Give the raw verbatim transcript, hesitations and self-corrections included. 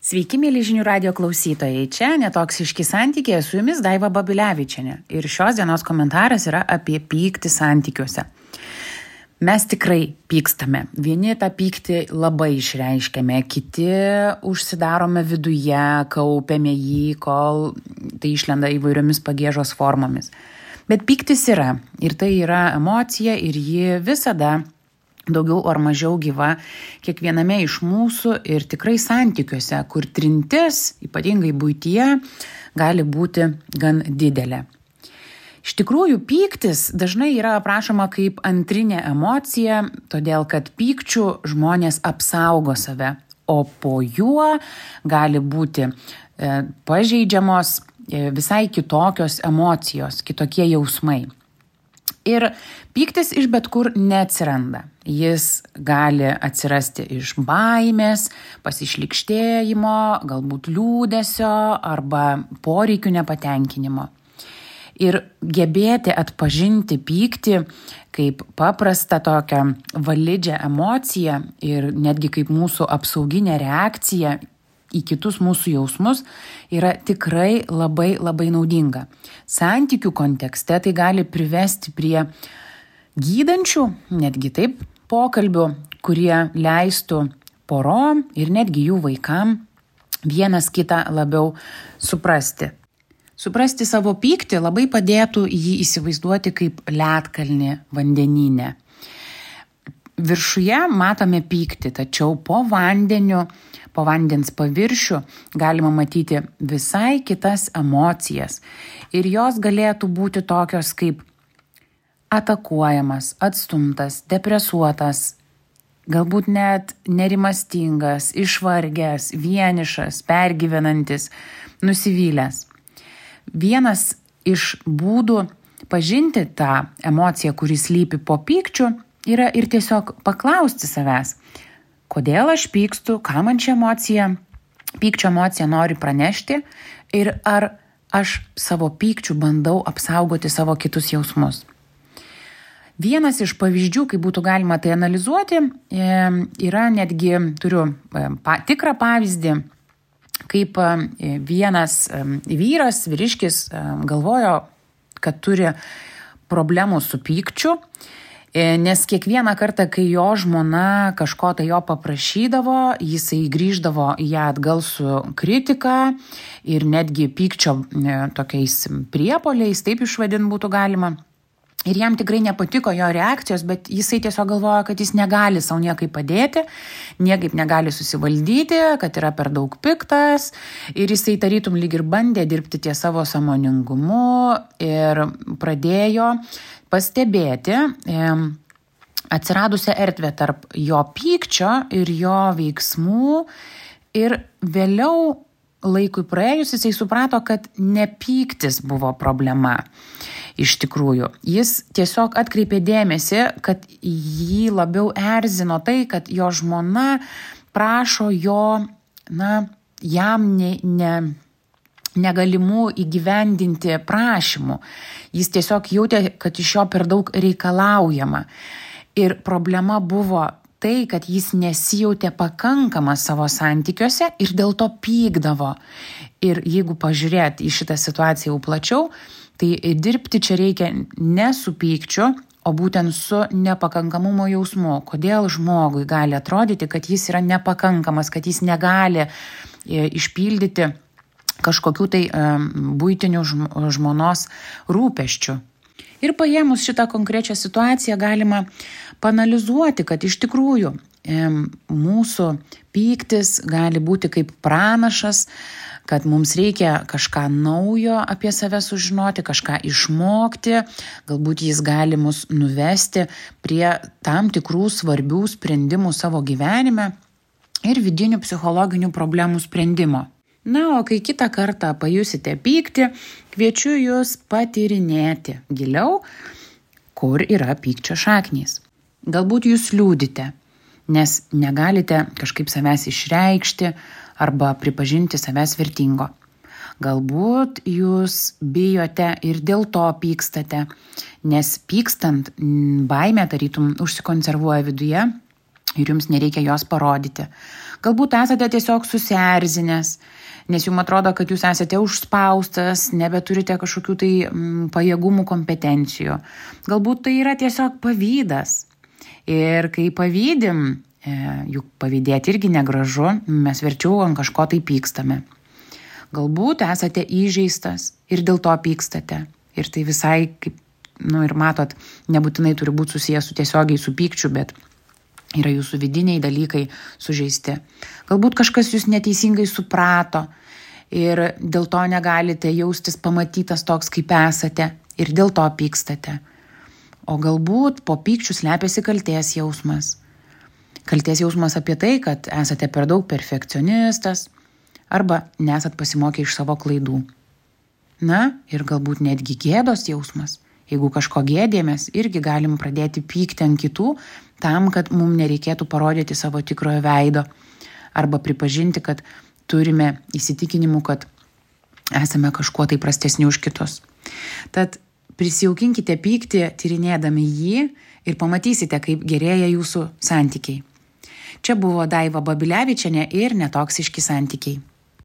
Sveiki, mėly žinių radio klausytojai. Čia Netoksiški santykiai, su jumis Daiva Babilevičienė. Ir šios dienos komentaras yra apie pyktį santykiuose. Mes tikrai pykstame. Vieni tą pyktį labai išreiškiame, kiti užsidarome viduje, kaupiame jį, kol tai išlenda įvairiomis pagiežos formomis. Bet pyktis yra. Ir tai yra emocija ir ji visada daugiau ar mažiau gyva kiekviename iš mūsų ir tikrai santykiuose, kur trintis, ypatingai buityje, gali būti gan didelė. Iš tikrųjų, pyktis dažnai yra aprašoma kaip antrinė emocija, todėl kad pykčių žmonės apsaugo save, o po juo gali būti e, pažeidžiamos e, visai kitokios emocijos, kitokie jausmai. Ir pyktis iš bet kur neatsiranda. Jis gali atsirasti iš baimės, pasišlykštėjimo, galbūt liūdesio arba poreikių nepatenkinimo. Ir gebėti atpažinti pyktį kaip paprastą tokią validžią emociją ir netgi kaip mūsų apsauginę reakciją į kitus mūsų jausmus yra tikrai labai labai naudinga. Santykių kontekste tai gali privesti prie gydančių, netgi taip, pokalbių, kurie leistų porom ir netgi jų vaikam vienas kitą labiau suprasti. Suprasti savo pyktį labai padėtų jį įsivaizduoti kaip ledkalnį vandenyne. Viršuje matome pyktį, tačiau po vandeniu, po vandens paviršių galima matyti visai kitas emocijas. Ir jos galėtų būti tokios kaip atakuojamas, atstumtas, depresuotas, galbūt net nerimastingas, išvargęs, vienišas, pergyvenantis, nusivylęs. Vienas iš būdų pažinti tą emociją, kuris slypi po pykčiu, yra ir tiesiog paklausti savęs, kodėl aš pykstu, ką man ši emocija, pykčio emocija nori pranešti ir ar aš savo pykčių bandau apsaugoti savo kitus jausmus. Vienas iš pavyzdžių, kaip būtų galima tai analizuoti, yra netgi, turiu tikrą pavyzdį, kaip vienas vyras, vyriškis galvojo, kad turi problemų su pykčiu, nes kiekvieną kartą, kai jo žmona kažko tai jo paprašydavo, jisai grįždavo į ją atgal su kritika ir netgi pykčio tokiais priepoliais, taip išvadint būtų galima. Ir jam tikrai nepatiko jo reakcijos, bet jisai tiesiog galvojo, kad jis negali savo niekaip padėti, niekaip negali susivaldyti, kad yra per daug piktas ir jisai tarytum lyg ir bandė dirbti ties savo sąmoningumu ir pradėjo pastebėti e, atsiradusią erdvę tarp jo pykčio ir jo veiksmų ir vėliau laikui praėjus jisai suprato, kad ne pyktis buvo problema. Iš tikrųjų, jis tiesiog atkreipė dėmesį, kad jį labiau erzino tai, kad jo žmona prašo jo, na, jam ne, ne, negalimų įgyvendinti prašymų. Jis tiesiog jautė, kad iš jo per daug reikalaujama. Ir problema buvo tai, kad jis nesijautė pakankamas savo santykiuose ir dėl to pykdavo. Ir jeigu pažiūrėt į šitą situaciją jau plačiau, tai dirbti čia reikia ne su pykčiu, o būtent su nepakankamumo jausmu. Kodėl žmogui gali atrodyti, kad jis yra nepakankamas, kad jis negali išpildyti kažkokių tai buitinių žmonos rūpesčių. Ir paėmus šitą konkrečią situaciją galima paanalizuoti, kad iš tikrųjų mūsų pyktis gali būti kaip pranašas, kad mums reikia kažką naujo apie save sužinoti, kažką išmokti, galbūt jis gali mus nuvesti prie tam tikrų svarbių sprendimų savo gyvenime ir vidinių psichologinių problemų sprendimo. Na, o kai kitą kartą pajusite pyktį, kviečiu jūs patyrinėti giliau, kur yra pykčio šaknys. Galbūt jūs liūdite, nes negalite kažkaip savęs išreikšti arba pripažinti savęs vertingo. Galbūt jūs bijote ir dėl to pykstate, nes pykstant baimė tarytum užsikonservuoja viduje ir jums nereikia jos parodyti. Galbūt esate tiesiog susierzinęs, nes jums atrodo, kad jūs esate užspaustas, nebeturite kažkokių tai mm, pajėgumų, kompetencijų. Galbūt tai yra tiesiog pavydas. Ir kai pavydim, e, juk pavydėti irgi negražu, mes verčiau ant kažko tai pykstame. Galbūt esate įžeistas ir dėl to pykstate. Ir tai visai, kaip, nu ir matot, nebūtinai turi būti susijęs su tiesiogiai su pykčiu, bet yra jūsų vidiniai dalykai sužeisti. Galbūt kažkas jūs neteisingai suprato ir dėl to negalite jaustis pamatytas toks, kaip esate ir dėl to pykstate. O galbūt po pykčių slepiasi kaltės jausmas. Kaltės jausmas apie tai, kad esate per daug perfekcionistas arba nesat pasimokę iš savo klaidų. Na ir galbūt netgi gėdos jausmas. Jeigu kažko gėdėmės, irgi galim pradėti pykti ant kitų, tam, kad mums nereikėtų parodyti savo tikrojo veido arba pripažinti, kad turime įsitikinimų, kad esame kažkuo tai prastesni už kitus. Tad prisijaukinkite pyktį, tyrinėdami jį ir pamatysite, kaip gerėja jūsų santykiai. Čia buvo Daiva Babilevičienė ir Netoksiški santykiai.